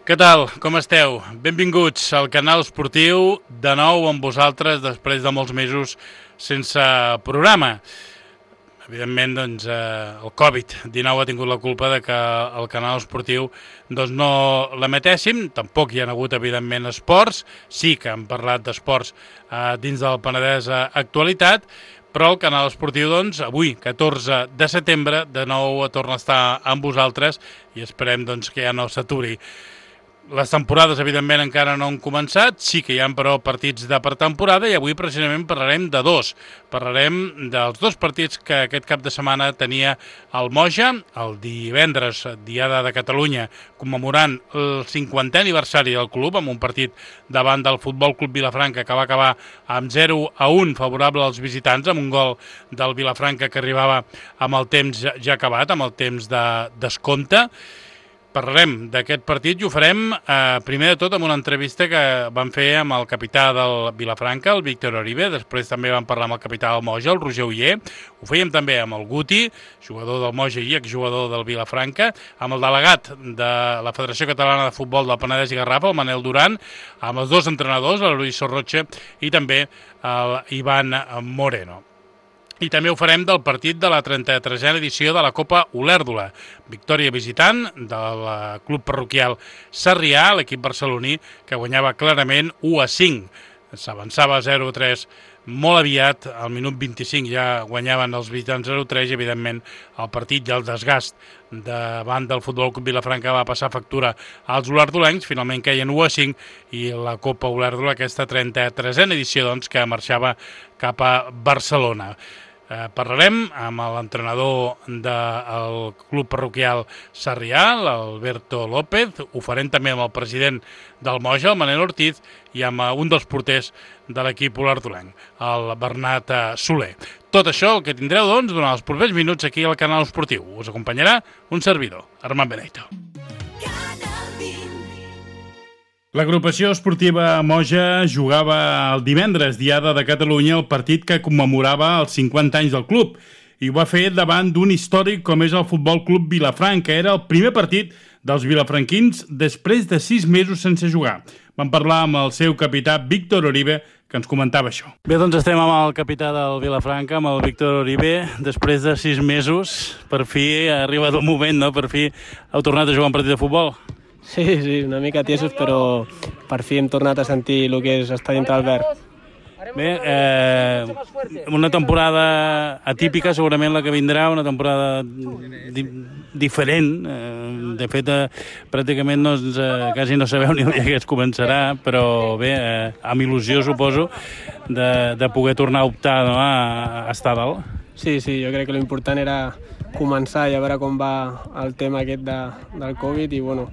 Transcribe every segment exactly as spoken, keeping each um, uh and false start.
Què tal? Com esteu? Benvinguts al canal esportiu, de nou amb vosaltres després de molts mesos sense programa. Evidentment, doncs, eh, el covid dinou ha tingut la culpa de que el canal esportiu doncs, no l'emetéssim. Tampoc hi ha hagut, evidentment, esports. Sí que hem parlat d'esports eh, dins del Penedès Actualitat, però el canal esportiu, doncs, avui, catorze de setembre, de nou torna a estar amb vosaltres i esperem doncs, que ja no s'aturi. Les temporades, evidentment, encara no han començat, sí que hi ha, però, partits de pretemporada i avui, precisament, parlarem de dos. Parlarem dels dos partits que aquest cap de setmana tenia el Moja, el divendres, Diada de Catalunya, commemorant el cinquantè aniversari del club, amb un partit davant del Futbol Club Vilafranca que va acabar amb zero a un favorable als visitants, amb un gol del Vilafranca que arribava amb el temps ja acabat, amb el temps de descompte. Parlarem d'aquest partit i ho farem eh, primer de tot amb una entrevista que vam fer amb el capità del Vilafranca, el Víctor Oribe, després també vam parlar amb el capità del Moja, el Roger Oller, ho fèiem també amb el Guti, jugador del Moja i exjugador del Vilafranca, amb el delegat de la Federació Catalana de Futbol del Penedès i Garraf, el Manel Duran, amb els dos entrenadors, el Luis Sorroche i també el Ivan Moreno. I també ho farem del partit de la trenta-tresena edició de la Copa Olèrdola. Victòria visitant del club parroquial Sarrià, l'equip barceloní, que guanyava clarament u a cinc. S'avançava zero a tres molt aviat, al minut vint-i-cinc ja guanyaven els visitants zero a tres i, evidentment, el partit i el desgast davant del Futbol Club Vilafranca va passar factura als olèrdolencs, finalment queien u a cinc i la Copa Olèrdola, aquesta trenta-tresena edició, doncs, que marxava cap a Barcelona. Eh, parlarem amb l'entrenador del club parroquial Sarrià, l'Alberto López, ho farem també amb el president del Moja, el Manel Ortiz, i amb un dels porters de l'equip olèrdolenc, el Bernat Soler. Tot això el que tindreu, doncs, durant els propers minuts aquí al canal esportiu. Us acompanyarà un servidor, Armand Benito. L'agrupació esportiva Moja jugava el divendres, Diada de Catalunya, el partit que commemorava els cinquanta anys del club, i ho va fer davant d'un històric com és el Futbol Club Vilafranca. Era el primer partit dels vilafranquins després de sis mesos sense jugar. Vam parlar amb el seu capità Víctor Oribe, que ens comentava això. Bé, doncs estem amb el capità del Vilafranca, amb el Víctor Oribe. Després de sis mesos, per fi ha arribat el moment, no? Per fi heu tornat a jugar un partit de futbol. Sí, sí, una mica tiesos, però per fi hem tornat a sentir el que és estar dintre el verd. Bé, eh, una temporada atípica, segurament la que vindrà, una temporada di diferent. Eh, de fet, eh, pràcticament no, eh, quasi no sabeu ni el dia que es començarà, però bé, eh, amb il·lusió, suposo, de, de poder tornar a optar, no, a, a estar dalt. Sí, sí, jo crec que l'important era començar i a veure com va el tema aquest de, del Covid i, bueno,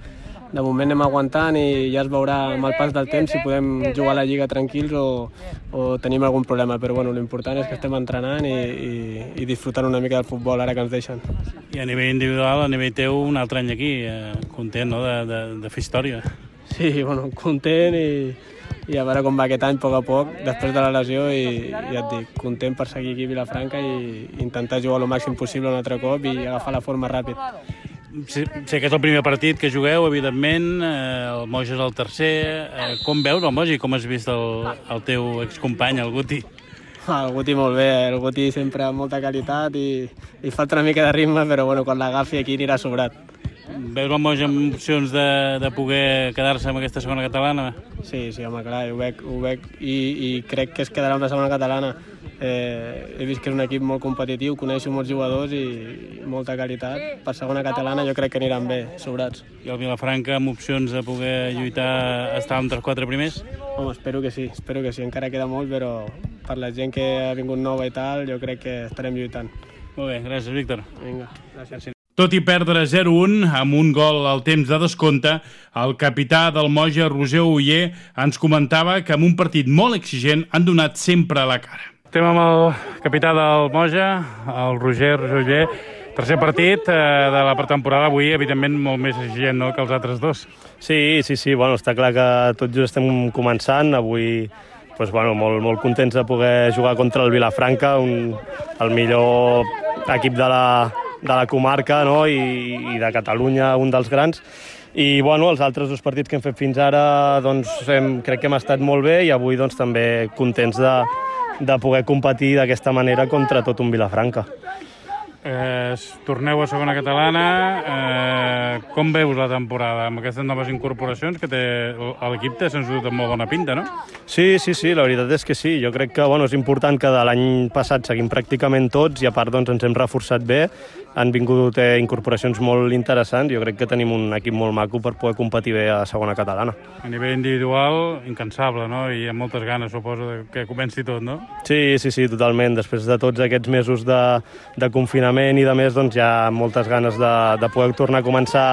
de moment anem aguantant i ja es veurà amb el pas del temps si podem jugar a la Lliga tranquils o, o tenim algun problema, però bueno, l'important és que estem entrenant i, i, i disfrutant una mica del futbol ara que ens deixen. I a nivell individual, a nivell teu, un altre any aquí, eh, content, no?, de, de, de fer història. Sí, bueno, content i, i a veure com va aquest any a poc a poc, després de la lesió, i ja et dic, content per seguir aquí a Vilafranca i intentar jugar el màxim possible un altre cop i agafar la forma ràpid. Sé, sé que és el primer partit que jugueu, evidentment, eh, el Moja és el tercer. Eh, com veus el Moja i com has vist el, el teu excompany, el Guti? Ah, el Guti molt bé, el Guti sempre amb molta qualitat i, i falta una mica de ritme, però bueno, quan l'agafi aquí anirà sobrat. Veus el Moja amb opcions de, de poder quedar-se amb aquesta segona catalana? Sí, sí, home, clar, ho veig, ho veig i, i crec que es quedarà amb la segona catalana. Eh, he vist que és un equip molt competitiu, coneixo molts jugadors i molta qualitat. Per segona catalana jo crec que aniran bé, sobrats. I el Vilafranca amb opcions de poder lluitar a estar entre els quatre primers? Home, espero que sí, espero que sí. Encara queda molt, però per la gent que ha vingut nova i tal, jo crec que estarem lluitant. Molt bé, gràcies, Víctor. Vinga, gràcies. Tot i perdre zero a un amb un gol al temps de descompte, el capità del Moja, Roger Oller, ens comentava que en un partit molt exigent han donat sempre la cara. Estem amb el capità del Moja, el Roger, Roger Oller. Tercer partit eh, de la pretemporada, avui, evidentment, molt més exigent, no?, que els altres dos. Sí, sí, sí, bueno, està clar que tot just estem començant. Avui, doncs, bueno, molt, molt contents de poder jugar contra el Vilafranca, un, el millor equip de la, de la comarca, no?, i, i de Catalunya, un dels grans. I bueno, els altres dos partits que hem fet fins ara doncs, hem, crec que hem estat molt bé i avui doncs, també contents de, de poder competir d'aquesta manera contra tot un Vilafranca. Eh, torneu a segona catalana, eh, com veus la temporada amb aquestes noves incorporacions que té l'equip? Té sens dubte molt bona pinta, no? Sí, sí, sí, la veritat és que sí. Jo crec que bueno, és important que de l'any passat seguim pràcticament tots i a part doncs, ens hem reforçat bé. Han vingut eh, incorporacions molt interessants. Jo crec que tenim un equip molt maco per poder competir bé a segona catalana. A nivell individual, incansable, no? I amb moltes ganes, suposo, que comenci tot, no? Sí, sí, sí, totalment. Després de tots aquests mesos de, de confinament i de més, doncs hi ha moltes ganes de, de poder tornar a començar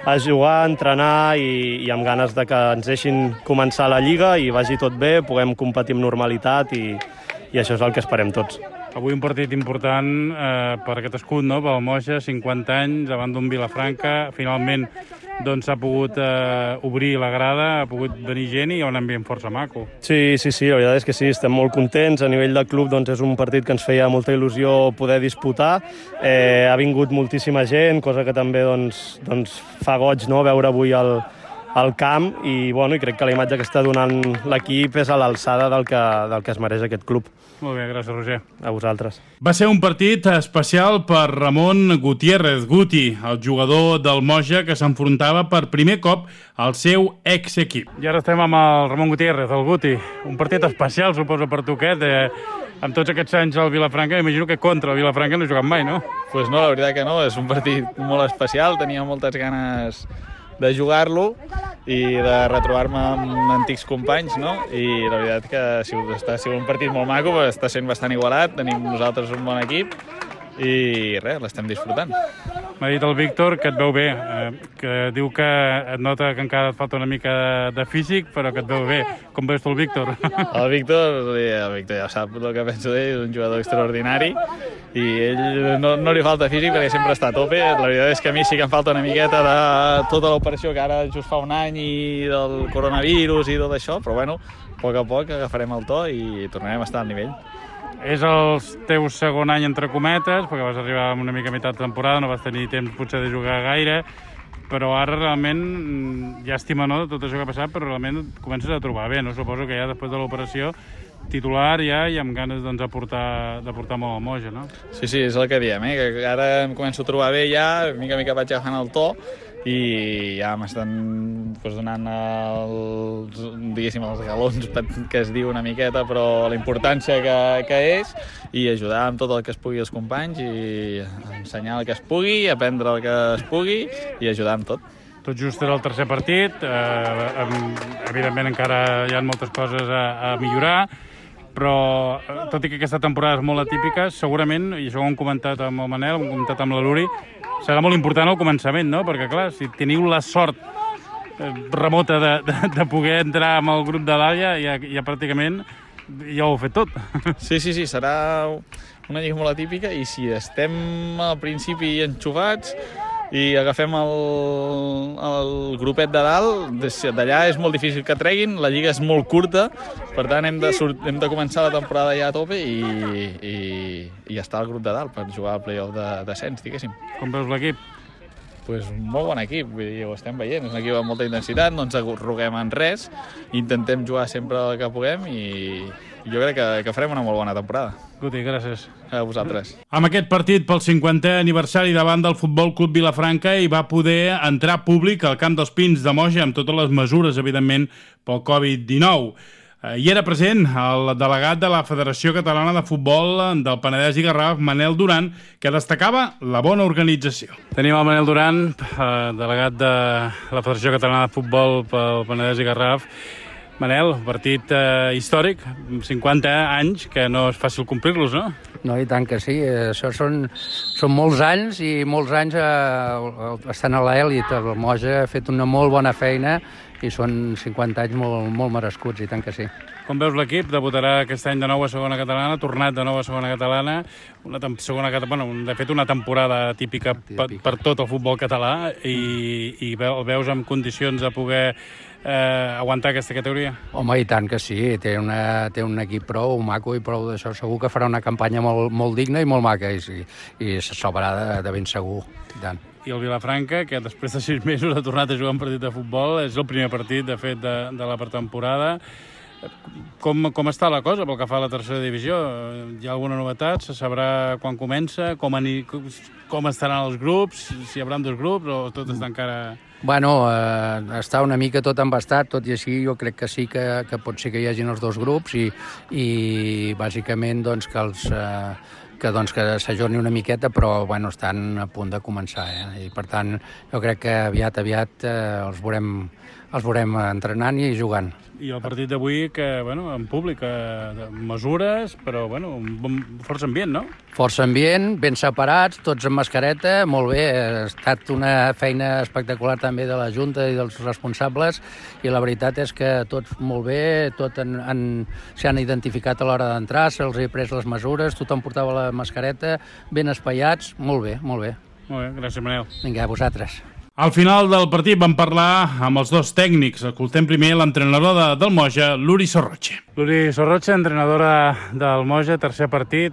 a jugar, a entrenar i, i amb ganes de que ens deixin començar la Lliga i vagi tot bé, puguem competir amb normalitat i, i això és el que esperem tots. Avui un partit important eh, per aquest escut, no? Pel Moja, cinquanta anys, davant d'un Vilafranca. Finalment doncs s'ha pogut eh, obrir la grada, ha pogut venir gent i hi ha un ambient força maco. Sí, sí, sí, la veritat és que sí, estem molt contents. A nivell del club doncs, és un partit que ens feia molta il·lusió poder disputar. Eh, ha vingut moltíssima gent, cosa que també doncs, doncs, fa goig, no?, veure avui el, al camp i, bueno, i crec que la imatge que està donant l'equip és a l'alçada del que, del que es mereix aquest club. Molt bé, gràcies, Roger. A vosaltres. Va ser un partit especial per Ramon Gutiérrez, Guti, el jugador del Moja que s'enfrontava per primer cop al seu ex-equip. I ara estem amb el Ramon Gutiérrez, el Guti. Un partit especial, suposo, per tu aquest, eh? Amb tots aquests anys al Vilafranca, imagino que contra el Vilafranca no he jugat mai, no? Pues no, la veritat que no, és un partit molt especial, tenia moltes ganes de jugar-lo i de retrobar-me amb antics companys, no? I la veritat que ha sigut, està, ha sigut un partit molt maco, està sent bastant igualat, tenim nosaltres un bon equip i res, l'estem disfrutant. M'ha dit el Víctor que et veu bé, eh, que diu que et nota que encara et falta una mica de físic, però que et veu bé. Com veus tu el Víctor? El Víctor, el Víctor ja sap el que penso d'ell, és un jugador extraordinari i ell no, no li falta físic perquè sempre està a tope. La veritat és que a mi sí que em falta una miqueta de tota l'operació que ara just fa un any i del coronavirus i tot això, però bueno, a poc a poc agafarem el to i tornarem a estar al nivell. És el teu segon any entre cometes, perquè vas arribar una mica a meitat de temporada, no vas tenir temps potser de jugar gaire, però ara realment, llàstima, no?, tot això que ha passat, però realment et comences a trobar bé, no? Suposo que ja després de l'operació titular ja i amb ganes doncs, de, portar, de portar molt al Moja, no? Sí, sí, és el que diem, eh? Que ara em començo a trobar bé ja, mica a mica vaig agafant el to i ja m'estan pues, donant els, diguéssim, els galons que es diu una miqueta, però la importància que, que és i ajudar amb tot el que es pugui als companys i ensenyar el que es pugui, aprendre el que es pugui i ajudar amb tot. Tot just era el tercer partit, eh, evidentment encara hi ha moltes coses a, a millorar, però tot i que aquesta temporada és molt atípica, segurament, i això ho hem comentat amb el Manel, ho hem comentat amb la Luri, serà molt important al començament, no? Perquè, clar, si teniu la sort remota de, de, de poder entrar amb el grup de dalt, ja, ja, ja pràcticament ja ho heu fet tot. Sí, sí, sí, serà una lliga molt atípica i si estem al principi enxufats i agafem el, el grupet de dalt, d'allà és molt difícil que treguin, la lliga és molt curta, per tant hem de, hem de començar la temporada ja a tope i, i, i estar al grup de dalt per jugar al play-off de descens, diguéssim. Com veus l'equip? Pues un molt bon equip, vull dir, ho estem veient, és un equip amb molta intensitat, no ens arroguem en res, intentem jugar sempre el que puguem i jo crec que, que farem una molt bona temporada. Guti, gràcies. A vosaltres. Amb aquest partit pel cinquantè aniversari davant del Futbol Club Vilafranca hi va poder entrar públic al Camp dels Pins de Moja amb totes les mesures, evidentment, pel covid dinou. Hi era present el delegat de la Federació Catalana de Futbol del Penedès i Garraf, Manel Duran, que destacava la bona organització. Tenim el Manel Duran, delegat de la Federació Catalana de Futbol pel Penedès i Garraf. Manel, partit eh, històric, cinquanta anys, que no és fàcil complir-los, no? No, i tant que sí. Això són, són molts anys i molts anys eh, estan a l'èlit. El Moja ha fet una molt bona feina i són cinquanta anys molt, molt merescuts, i tant que sí. Com veus l'equip? Debutarà aquest any de nou a segona catalana, tornat de nou a segona catalana, una segona, bueno, de fet una temporada típica, típica. Per, per tot el futbol català i, i el veus en condicions de poder eh, aguantar aquesta categoria? Home, i tant que sí, té, una, té un equip prou maco i prou d'això, segur que farà una campanya molt, molt digna i molt maca i, i, i se sobrarà de, de ben segur, i tant. i el Vilafranca, que després de sis mesos ha tornat a jugar un partit de futbol. És el primer partit, de fet, de, de la pretemporada. Com, com està la cosa pel que fa a la tercera divisió? Hi ha alguna novetat? Se sabrà quan comença? Com, ani, com estaran els grups? Si hi haurà dos grups o tot està encara... Bueno, eh, està una mica tot embastat, tot i així jo crec que sí que, que pot ser que hi hagin els dos grups i, i bàsicament doncs, que els... Eh, que, doncs, que s'ajorni una miqueta, però bueno, estan a punt de començar. Eh? I per tant, jo crec que aviat, aviat eh, els, veurem, els veurem entrenant i jugant. I el partit d'avui, que, bueno, en públic, eh, mesures, però, bueno, un bon, força ambient, no? Força ambient, ben separats, tots amb mascareta, molt bé. Ha estat una feina espectacular també de la Junta i dels responsables, i la veritat és que tots molt bé, tot s'han identificat a l'hora d'entrar, se'ls ha pres les mesures, tothom portava la mascareta, ben espaiats, molt bé, molt bé. Molt bé, gràcies, Manel. Vinga, a vosaltres. Al final del partit vam parlar amb els dos tècnics. Escoltem primer l'entrenador de, del Moja, l'Uri Sorroche. L'Uri Sorroche, entrenadora del Moja, tercer partit.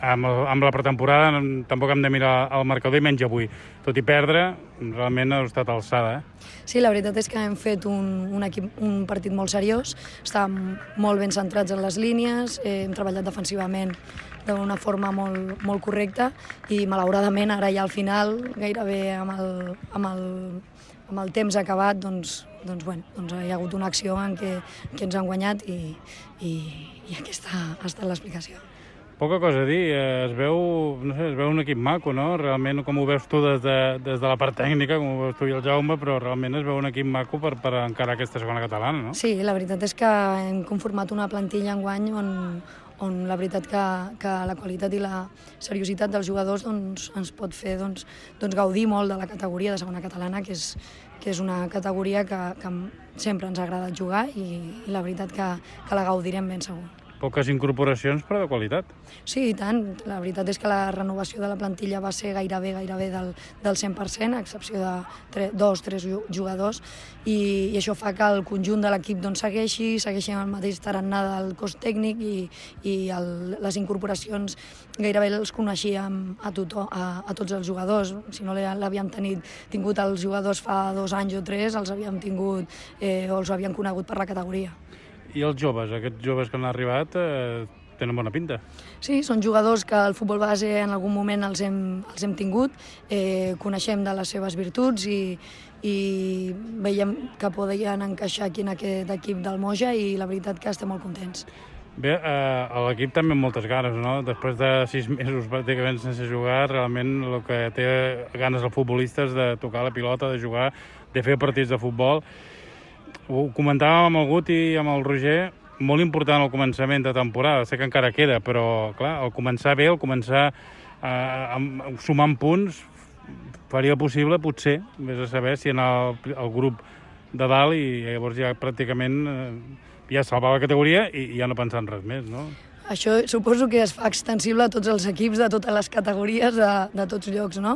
Amb, amb la pretemporada tampoc hem de mirar el marcador i menys avui. Tot i perdre, realment ha estat alçada. Eh? Sí, la veritat és que hem fet un, un, equip, un partit molt seriós. Estàvem molt ben centrats en les línies, eh, hem treballat defensivament d'una forma molt, molt correcta i malauradament ara ja al final, gairebé amb el, amb el, amb el temps acabat, doncs, doncs, bueno, doncs hi ha hagut una acció en què, que ens han guanyat i, i, i aquesta ha estat l'explicació. Poca cosa a dir, es veu, no sé, es veu un equip maco, no? Realment, com ho veus tu des de, des de la part tècnica, com ho veus tu i el Jaume, però realment es veu un equip maco per, per encarar aquesta segona catalana, no? Sí, la veritat és que hem conformat una plantilla enguany on, on la veritat que, que la qualitat i la seriositat dels jugadors doncs, ens pot fer doncs, doncs, gaudir molt de la categoria de segona catalana, que és, que és una categoria que, que sempre ens ha agradat jugar i, i la veritat que, que la gaudirem ben segur. Poques incorporacions, però de qualitat. Sí, i tant. La veritat és que la renovació de la plantilla va ser gairebé gairebé del, del cent per cent, a excepció de tre, dos, tres jugadors, i, i això fa que el conjunt de l'equip doncs, segueixi, segueixi amb el mateix tarannà del cos tècnic i, i el, les incorporacions gairebé els coneixíem a, tothom, a, a tots els jugadors. Si no l'havíem tingut els jugadors fa dos anys o tres, els havíem tingut eh, o els havíem conegut per la categoria. I els joves, aquests joves que han arribat, eh, tenen bona pinta. Sí, són jugadors que al futbol base en algun moment els hem, els hem tingut, eh, coneixem de les seves virtuts i, i veiem que podien encaixar aquí en aquest equip del Moja i la veritat que estem molt contents. Bé, eh, l'equip també amb moltes ganes, no? Després de sis mesos pràcticament sense jugar, realment el que té ganes el futbolista és de tocar la pilota, de jugar, de fer partits de futbol. Ho comentàvem amb el Guti i amb el Roger, molt important el començament de temporada, sé que encara queda, però clar, el començar bé, el començar eh, sumant punts, faria possible, potser, vés a saber si en el, el grup de dalt i llavors ja pràcticament eh, ja salvar la categoria i ja no pensar en res més, no? Això suposo que es fa extensible a tots els equips de totes les categories de, de tots llocs, no?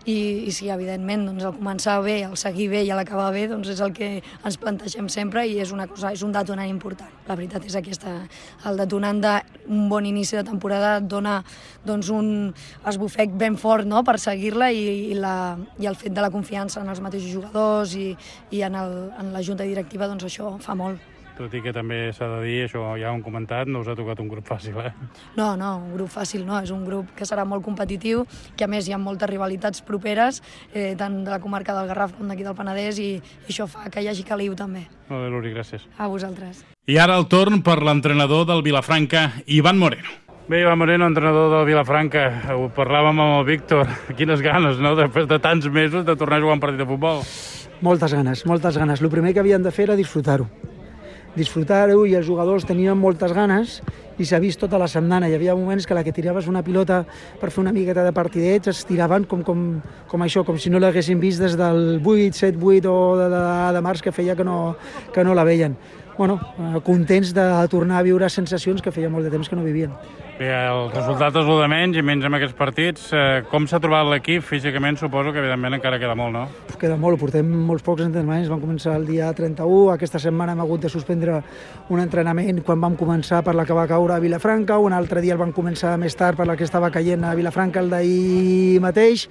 I, i sí, evidentment, doncs, el començar bé, el seguir bé i l'acabar bé doncs és el que ens plantegem sempre i és una cosa, és un detonant important. La veritat és aquesta, el detonant d'un bon inici de temporada et dona doncs, un esbufec ben fort, no?, per seguir-la i, i, la, i el fet de la confiança en els mateixos jugadors i, i en, el, en la junta directiva, doncs això fa molt. Tot i que també s'ha de dir, això ja ho hem comentat, no us ha tocat un grup fàcil, eh? No, no, un grup fàcil no, és un grup que serà molt competitiu, que a més hi ha moltes rivalitats properes, eh, tant de la comarca del Garraf com d'aquí del Penedès, i, i això fa que hi hagi caliu també. Molt bé, Luri, gràcies. A vosaltres. I ara el torn per l'entrenador del Vilafranca, Ivan Moreno. Bé, Ivan Moreno, entrenador del Vilafranca, ho parlàvem amb el Víctor, quines ganes, no?, després de tants mesos de tornar a jugar un partit de futbol. Moltes ganes, moltes ganes. El primer que havien de fer era disfrutar-ho. disfrutar-ho i els jugadors tenien moltes ganes i s'ha vist tota la setmana. Hi havia moments que la que tiraves una pilota per fer una miqueta de partidets es tiraven com, com, com això, com si no l'haguessin vist des del vuit, set, vuit o de, de, de març que feia que no, que no la veien. Bueno, contents de tornar a viure sensacions que feia molt de temps que no vivien. Bé, el resultat és el de menys i menys amb aquests partits. Com s'ha trobat l'equip físicament? Suposo que evidentment encara queda molt, no? Queda molt, portem molts pocs entrenaments. Vam començar el dia trenta-u, aquesta setmana hem hagut de suspendre un entrenament quan vam començar per la que va caure caure a Vilafranca, un altre dia el van començar més tard per la que estava caient a Vilafranca el d'ahir mateix,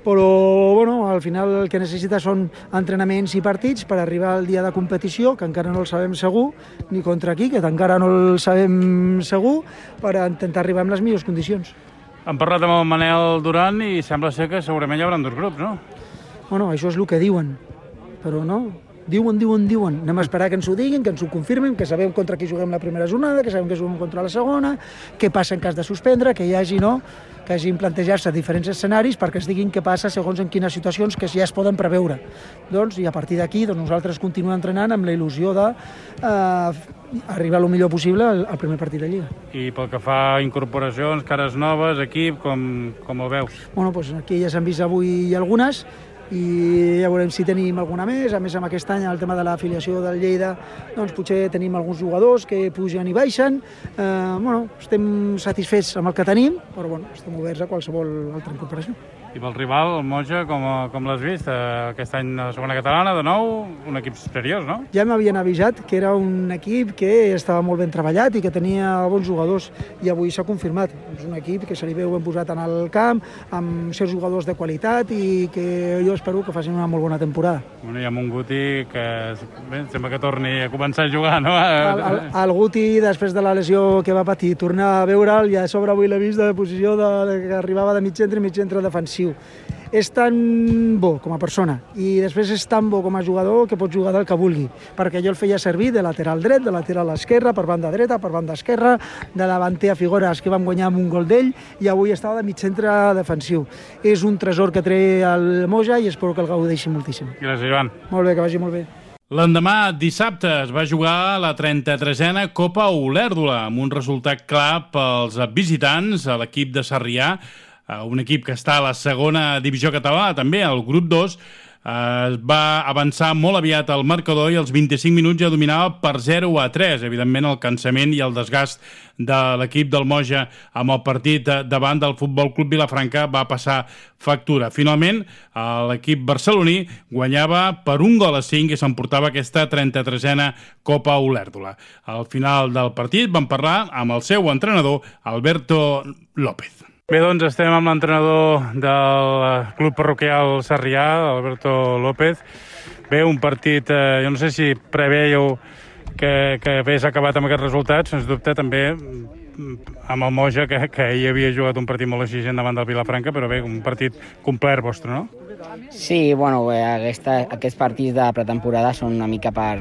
però bueno, al final el que necessita són entrenaments i partits per arribar al dia de competició, que encara no el sabem segur, ni contra qui, que encara no el sabem segur, per intentar arribar en les millors condicions. Hem parlat amb el Manel Duran i sembla ser que segurament hi haurà dos grups, no? Bueno, això és el que diuen, però no... Diuen, diuen, diuen. Anem a esperar que ens ho diguin, que ens ho confirmen, que sabem contra qui juguem la primera jornada, que sabem que juguem contra la segona, què passa en cas de suspendre, que hi hagi, no?, que hagin plantejar-se diferents escenaris perquè es diguin què passa segons en quines situacions que ja es poden preveure. Doncs, i a partir d'aquí doncs, nosaltres continuem entrenant amb la il·lusió de eh, arribar el millor possible al, al primer partit de Lliga. I pel que fa a incorporacions, cares noves, equip, com, com ho veus? Bueno, doncs aquí ja s'han vist avui algunes, i ja veurem si tenim alguna més. A més, amb aquest any, el tema de l'afiliació del Lleida, doncs potser tenim alguns jugadors que pugen i baixen. Eh, bueno, estem satisfets amb el que tenim, però bueno, estem oberts a qualsevol altra incorporació. I pel rival, el Moja, com, com l'has vist? Eh, aquest any a la segona catalana, de nou, un equip seriós, no? Ja m'havien avisat que era un equip que estava molt ben treballat i que tenia bons jugadors, i avui s'ha confirmat. És un equip que se li veu ben posat en el camp, amb certs jugadors de qualitat, i que jo espero que facin una molt bona temporada. Bueno, hi ha un Guti que bé, sembla que torni a començar a jugar, no? El, el, el Guti, després de la lesió que va patir, tornar a veure'l, i a sobre avui l'he vist de posició de, que arribava de mig centre i mig centre defensiu. És tan bo com a persona i després és tan bo com a jugador que pot jugar del que vulgui, perquè jo el feia servir de lateral dret, de lateral esquerra, per banda dreta, per banda esquerra, de davanter a Figueres, que vam guanyar amb un gol d'ell, i avui estava de mig centre defensiu. És un tresor que té el Moja i espero que el gaudeixi moltíssim. Gràcies, Ivan. Molt bé, que vagi molt bé. L'endemà, dissabte, es va jugar la trenta-tresena Copa Olèrdola, amb un resultat clar pels visitants a l'equip de Sarrià, un equip que està a la segona divisió catalana, també al grup dos, es va avançar molt aviat al marcador i als vint-i-cinc minuts ja dominava per zero a tres. Evidentment, el cansament i el desgast de l'equip del Moja amb el partit davant del Futbol Club Vilafranca va passar factura. Finalment, l'equip barceloní guanyava per un gol a cinc i s'emportava aquesta trenta-tresena Copa Olèrdola. Al final del partit vam parlar amb el seu entrenador, Alberto López. Bé, doncs estem amb l'entrenador del club parroquial Sarrià, Alberto López. Bé, un partit, eh, jo no sé si preveieu que, que hagués acabat amb aquests resultats, sens dubte també amb el Moja, que, que ahir havia jugat un partit molt exigent davant del Vilafranca, però bé, un partit complet vostre, no? Sí, bueno, bé, aquesta, aquests partits de pretemporada són una mica per,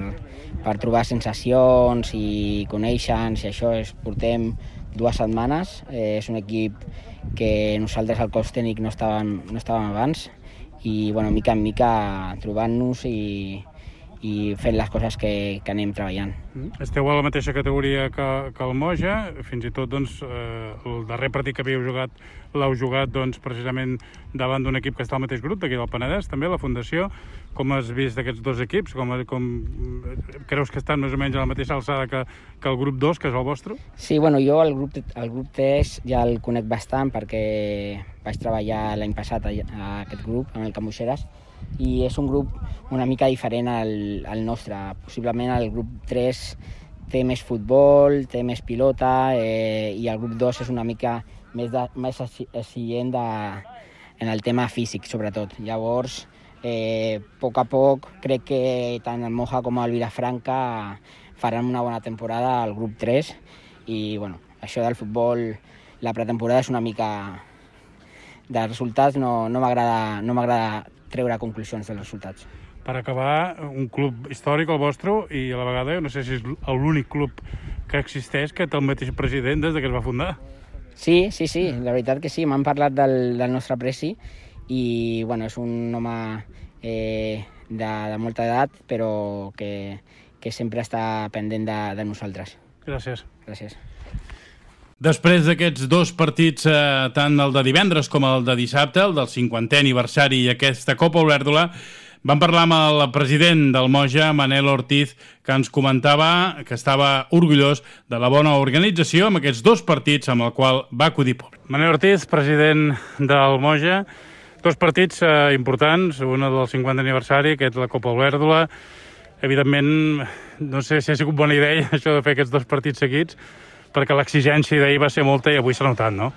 per trobar sensacions i conèixer-nos, i això és, portem dues setmanes. Eh, és un equip que nosaltres al cos tècnic no estàvem, no estàvem abans, i bueno, mica en mica trobant-nos i, i fent les coses que, que anem treballant. Esteu a la mateixa categoria que, que el Moja, fins i tot doncs, eh, el darrer partit que havíeu jugat l'heu jugat doncs, precisament davant d'un equip que està al mateix grup, d'aquí del Penedès, també, la Fundació. Com has vist aquests dos equips? Com, com creus que estan més o menys a la mateixa alçada que, que el grup dos, que és el vostre? Sí, bueno, jo el grup, el grup tres ja el conec bastant perquè vaig treballar l'any passat a, a aquest grup, amb el Camuixeres, i és un grup una mica diferent al, al nostre. Possiblement el grup tres té més futbol, té més pilota, eh, i el grup dos és una mica més, de, més exigent de, en el tema físic, sobretot. Llavors, eh, a poc a poc, crec que tant el Moja com el Vilafranca faran una bona temporada al grup tres, i bueno, això del futbol, la pretemporada és una mica de resultats, no, no m'agrada no m'agrada treure conclusions dels resultats. Per acabar, un club històric, el vostre, i a la vegada, no sé si és l'únic club que existeix que té el mateix president des que es va fundar. Sí, sí, sí, la veritat que sí, m'han parlat del, del nostre presi, i bueno, és un home eh, de, de molta edat, però que, que sempre està pendent de, de nosaltres. Gràcies. Gràcies. Després d'aquests dos partits, eh, tant el de divendres com el de dissabte, el del cinquantè aniversari i aquesta Copa Olèrdola, vam parlar amb el president del Moja, Manel Ortiz, que ens comentava que estava orgullós de la bona organització amb aquests dos partits amb el qual va acudir públic. Manel Ortiz, president del Moja, dos partits eh, importants, un del cinquantè aniversari, aquest la Copa Olèrdola. Evidentment, no sé si ha sigut bona idea això de fer aquests dos partits seguits, perquè l'exigència d'ahir va ser molta i avui s'ha notat, no?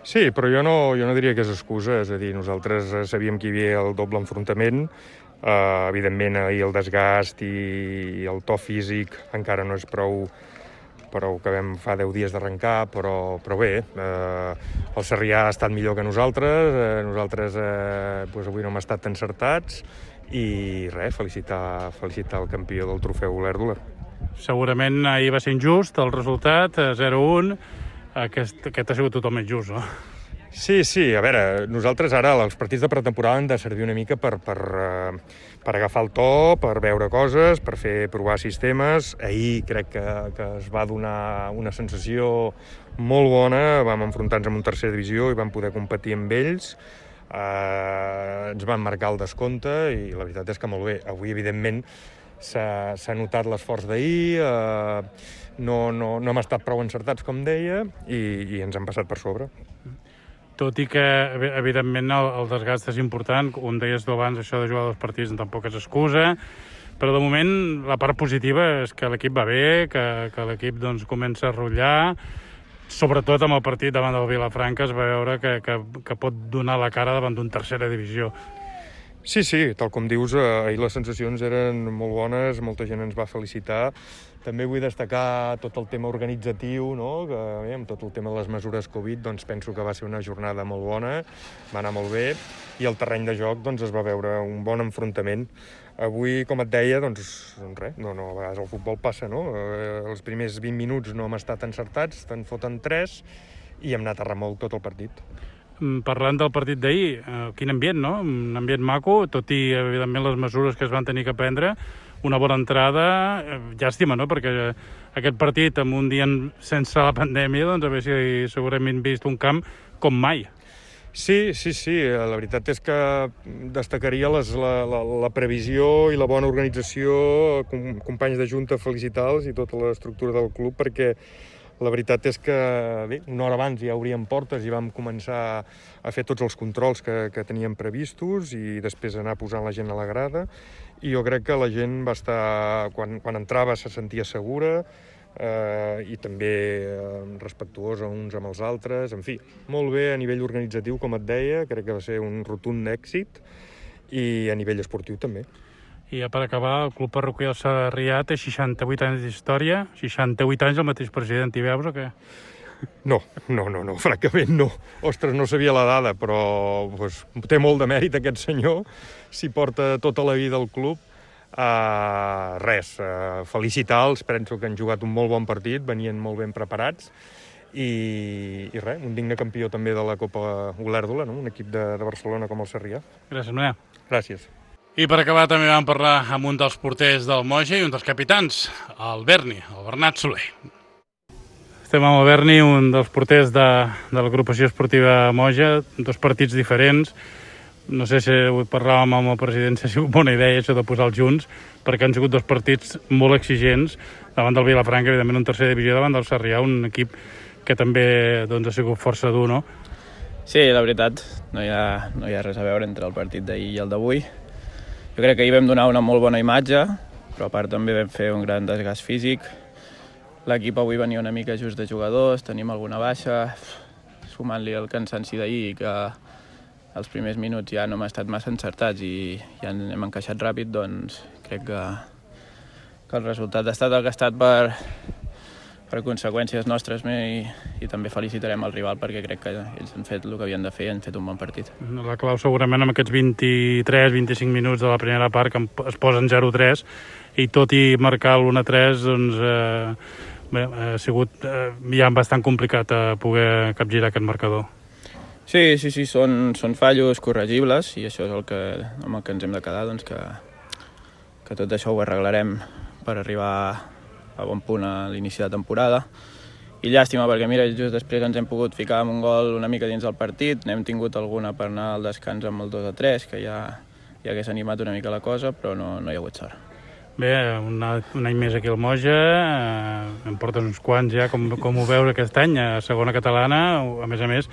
Sí, però jo no, jo no diria que és excusa, és a dir, nosaltres sabíem que hi havia el doble enfrontament, eh, evidentment ahir el desgast i el to físic encara no és prou, prou que vam fa deu dies d'arrencar, però, però bé, eh, el Sarrià ha estat millor que nosaltres, eh, nosaltres eh, doncs avui no hem estat encertats i res, felicitar, felicitar el campió del trofeu Olèrdola. Segurament ahir va ser injust el resultat, zero a un. Aquest, aquest ha sigut totalment just, no? Sí, sí, a veure, nosaltres ara els partits de pretemporada han de servir una mica per, per, per agafar el to, per veure coses, per fer provar sistemes. Ahir crec que, que es va donar una sensació molt bona, vam enfrontar-nos amb un tercera divisió i vam poder competir amb ells. Eh, ens van marcar el descompte i la veritat és que molt bé. Avui, evidentment, s'ha notat l'esforç d'ahir, eh, no, no, no hem estat prou encertats, com deia, i, i ens han passat per sobre. Tot i que, evidentment, el, el desgast és important, com deies tu abans, això de jugar dos partits tampoc és excusa, però de moment la part positiva és que l'equip va bé, que, que l'equip doncs, comença a rotllar, sobretot amb el partit davant del Vilafranca es va veure que, que, que pot donar la cara davant d'un tercera divisió. Sí, sí, tal com dius, ahir les sensacions eren molt bones, molta gent ens va felicitar. També vull destacar tot el tema organitzatiu, no? Que, bé, amb tot el tema de les mesures Covid, doncs penso que va ser una jornada molt bona, va anar molt bé, i el terreny de joc doncs, es va veure un bon enfrontament. Avui, com et deia, doncs, doncs res, no, no, a vegades el futbol passa, no? Eh, els primers vint minuts no hem estat encertats, te'n foten tres, i hem anat a remolc tot el partit. Parlant del partit d'ahir, eh, quin ambient, no? Un ambient maco, tot i, evidentment, les mesures que es van tenir que prendre. Una bona entrada, eh, llàstima, no? Perquè aquest partit, amb un dia sense la pandèmia, doncs a veure si segurament vist un camp com mai. Sí, sí, sí. La veritat és que destacaria les, la, la, la previsió i la bona organització, com, companys de junta, felicitar-los i tota l'estructura del club, perquè la veritat és que bé, una hora abans ja obríem portes i vam començar a fer tots els controls que, que teníem previstos i després anar posant la gent a la grada. I jo crec que la gent va estar, quan, quan entrava se sentia segura eh, i també eh, respectuosa uns amb els altres. En fi, molt bé a nivell organitzatiu, com et deia, crec que va ser un rotund èxit i a nivell esportiu també. I ja per acabar, el Club Parroquial Sarrià té seixanta-vuit anys d'història, seixanta-vuit anys el mateix president, hi veus o què? No, no, no, no, francament no. Ostres, no sabia la dada, però pues, té molt de mèrit aquest senyor, s'hi porta tota la vida al club. Uh, res, uh, felicitar-los, penso que han jugat un molt bon partit, venien molt ben preparats, i, i res, un digne campió també de la Copa Olèrdola, no? Un equip de, de Barcelona com el Sarrià. Gràcies, Manel. Gràcies. I per acabar també vam parlar amb un dels porters del Moja i un dels capitans, el Berni, el Bernat Soler. Estem amb el Berni, un dels porters de, de l'agrupació esportiva Moja, dos partits diferents. No sé si ho parlàvem amb el president, si ha sigut bona idea això de posar-los junts, perquè han sigut dos partits molt exigents davant del Vilafranca, evidentment un tercera divisió davant del Sarrià, un equip que també doncs, ha sigut força dur, no? Sí, la veritat, no hi ha, no hi ha res a veure entre el partit d'ahir i el d'avui. Jo crec que ahir vam donar una molt bona imatge, però a part també vam fer un gran desgast físic. L'equip avui venia una mica just de jugadors, tenim alguna baixa, sumant-li el cansanci d'ahir, que els primers minuts ja no hem estat massa encertats i ja hem encaixat ràpid, doncs crec que, que el resultat ha estat el que ha estat per, per conseqüències nostres i, i també felicitarem el rival perquè crec que ells han fet el que havien de fer i han fet un bon partit. La clau segurament amb aquests vint-i-tres vint-i-cinc minuts de la primera part que es posen zero a tres i tot i marcar l'u a tres doncs, eh, bé, ha sigut eh, ja bastant complicat eh, poder capgirar aquest marcador. Sí, sí, sí, són, són fallos corregibles i això és el que, amb el que ens hem de quedar, doncs que, que tot això ho arreglarem per arribar a bon punt a l'inici de temporada. I llàstima, perquè mira, just després ens hem pogut ficar amb un gol una mica dins del partit, n'hem tingut alguna per anar al descans amb el dos a tres, que ja, ja hagués animat una mica la cosa, però no, no hi ha hagut sort. Bé, un, un any més aquí al Moja, eh, em portes uns quants ja, com, com ho veus aquest any, a segona catalana, a més a més,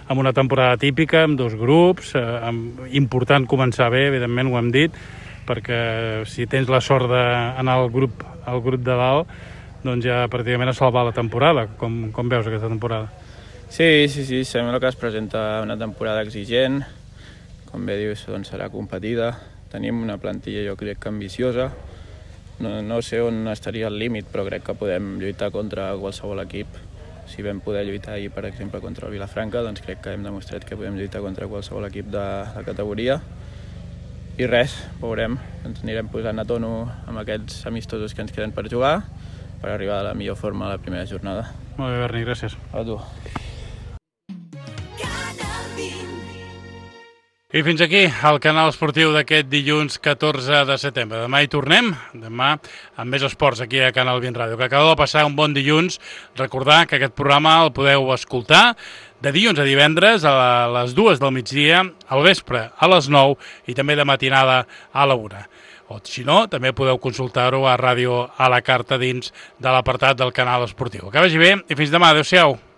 amb una temporada típica, amb dos grups, eh, amb, important començar bé, evidentment ho hem dit, perquè si tens la sort d'anar al grup, al grup de dalt, doncs ja pràcticament a salvar la temporada. Com, com veus aquesta temporada? Sí, sí, sí, sembla que es presenta una temporada exigent, com bé dius, doncs serà competida. Tenim una plantilla, jo crec que ambiciosa. No, no sé on estaria el límit, però crec que podem lluitar contra qualsevol equip. Si vam poder lluitar ahir, per exemple, contra el Vilafranca, doncs crec que hem demostrat que podem lluitar contra qualsevol equip de la categoria. I res, veurem, ens anirem posant a tono amb aquests amistosos que ens queden per jugar per arribar a la millor forma a la primera jornada. Molt bé, Berni, gràcies. A tu. I fins aquí el canal esportiu d'aquest dilluns catorze de setembre. Demà hi tornem, demà amb més esports aquí a Canal vint Ràdio. Que acabeu de passar un bon dilluns. Recordar que aquest programa el podeu escoltar de dilluns a divendres a les dues del migdia, al vespre a les nou i també de matinada a la una. O si no, també podeu consultar-ho a Ràdio a la Carta dins de l'apartat del canal esportiu. Que vagi bé i fins demà. Adéu-siau.